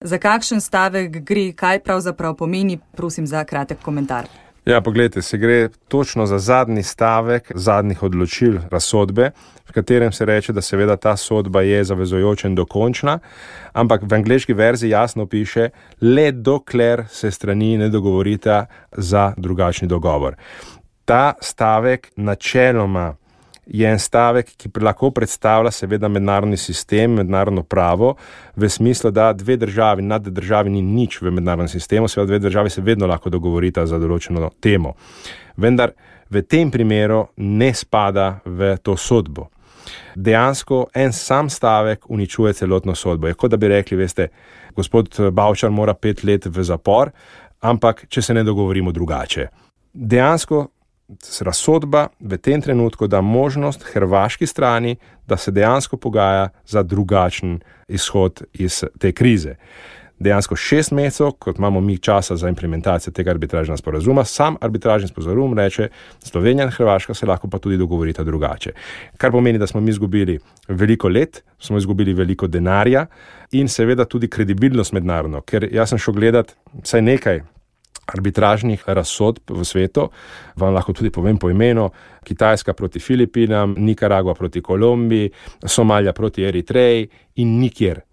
Za kakšen stavek gre, kaj pravzaprav pomeni, prosim za kratek komentar. Ja, poglejte, se gre točno za zadnji stavek zadnjih odločil razsodbe, v katerem se reče, da seveda ta sodba je zavezujoča in dokončna, ampak v angleški verziji jasno piše, le dokler se strani ne dogovorita za drugačni dogovor. Ta stavek načeloma je en stavek, ki lahko predstavlja seveda mednarodni sistem, mednarodno pravo, v smislu, da dve državi, nad državi ni nič v mednarodnem sistemu, seveda dve državi se vedno lahko dogovorita za določeno temo. Vendar v tem primeru ne spada v to sodbo. Dejansko en sam stavek uničuje celotno sodbo. Je kot da bi rekli, veste, gospod Bavčar mora 5 let v zapor, ampak če se ne dogovorimo drugače. Dejansko razsodba v tem trenutku da možnost hrvaški strani, da se dejansko pogaja za drugačen izhod iz te krize. Dejansko 6 mesecev, kot imamo mi časa za implementacijo tega arbitražnega sporazuma, sam arbitražni sporazum reče, Slovenija in Hrvaška se lahko pa tudi dogovorita drugače. Kar pomeni, da smo mi izgubili veliko let, smo izgubili veliko denarja in seveda tudi kredibilnost mednarodno, ker jaz sem šel gledati vsaj nekaj arbitražnih razsodb v svetu, vam lahko tudi povem po imenu, Kitajska proti Filipinam, Nikaragua proti Kolumbiji, Somalija proti Eritreji in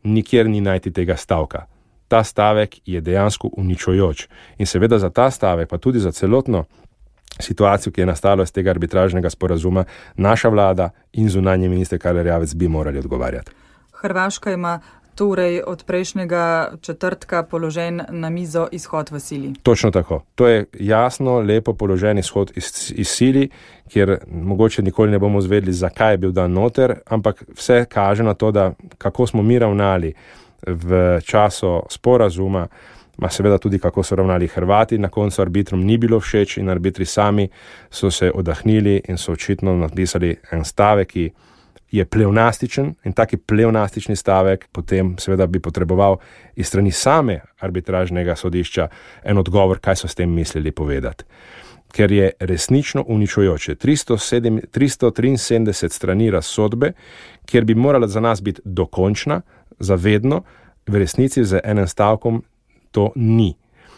nikjer ni najti tega stavka. Ta stavek je dejansko uničujoč. In seveda za ta stavek, pa tudi za celotno situacijo, ki je nastala iz tega arbitražnega sporazuma, naša vlada in zunanji minister Karl Erjavec bi morali odgovarjati. Hrvaška ima torej od prejšnjega četrtka položen na mizo izhod v sili. Točno tako. To je jasno, lepo položen izhod iz sili, kjer mogoče nikoli ne bomo zvedeli, zakaj je bil dan noter, ampak vse kaže na to, da kako smo mi ravnali v času sporazuma, ma seveda tudi kako so ravnali Hrvati, na koncu arbitrom ni bilo všeč in arbitri sami so se odahnili in so očitno napisali en stavek, ki je pleonastičen in taki pleonastični stavek potem seveda bi potreboval iz strani same arbitražnega sodišča en odgovor, kaj so s tem mislili povedati. Ker je resnično uničujoče. 373 strani razsodbe, kjer bi morala za nas biti dokončna, zavedno, v resnici z enim stavkom to ni.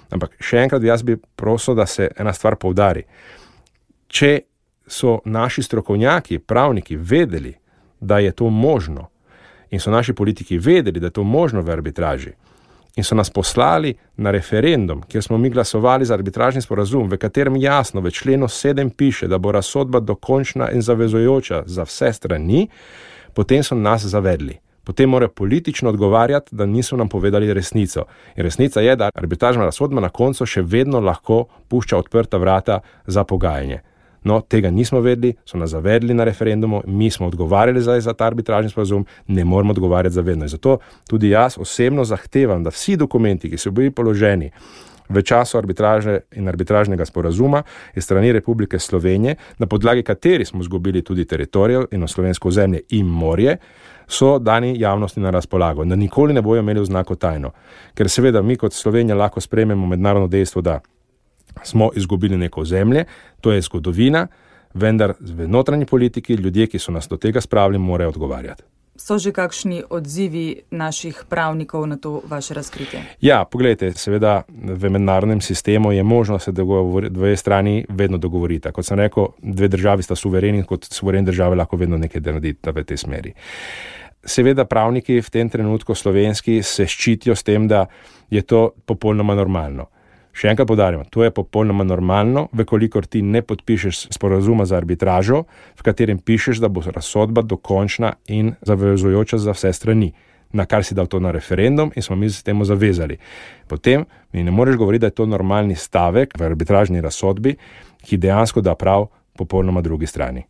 Ampak še enkrat jaz bi prosil, da se ena stvar poudari. Če so naši strokovnjaki, pravniki vedeli, da je to možno in so naši politiki vedeli, da je to možno v arbitraži in so nas poslali na referendum, kjer smo mi glasovali za arbitražni sporazum, v katerem jasno v členu 7 piše, da bo razsodba dokončna in zavezujoča za vse strani, potem so nas zavedli. Potem morajo politično odgovarjati, da niso nam povedali resnico. In resnica je, da arbitražna razsodba na koncu še vedno lahko pušča odprta vrata za pogajanje. No, tega nismo vedeli, so nas zavedli na referendumu, mi smo odgovarjali za ta arbitražni sporazum, ne moramo odgovarjati za vedno. In zato tudi jaz osebno zahtevam, da vsi dokumenti, ki so bili položeni v času arbitraže in arbitražnega sporazuma iz strani Republike Slovenije, na podlagi kateri smo izgubili tudi teritorijo in slovensko ozemlje in morje, so dani javnosti na razpolago, da nikoli ne bojo imeli oznako tajno. Ker seveda mi kot Slovenija lahko sprejmemo mednarodno dejstvo, da smo izgubili neko ozemlje, to je zgodovina, vendar v notranji politiki ljudje, ki so nas do tega spravili, morajo odgovarjati. So že kakšni odzivi naših pravnikov na to vaše razkritje? Ja, pogledajte, seveda v mednarodnem sistemu je možno se dve strani vedno dogovorita. Kot sem rekel, dve državi sta suvereni, kot suverene države lahko vedno nekaj naredita v tej smeri. Seveda pravniki v tem trenutku slovenski se ščitijo s tem, da je to popolnoma normalno. Še enkrat poudarjam, to je popolnoma normalno, vekolikor ti ne podpišeš sporazuma za arbitražo, v katerem pišeš, da bo razsodba dokončna in zavezujoča za vse strani, na kar si dal to na referendum in smo mi se temu zavezali. Potem mi ne moreš govoriti, da je to normalni stavek v arbitražni razsodbi, ki dejansko da prav popolnoma drugi strani.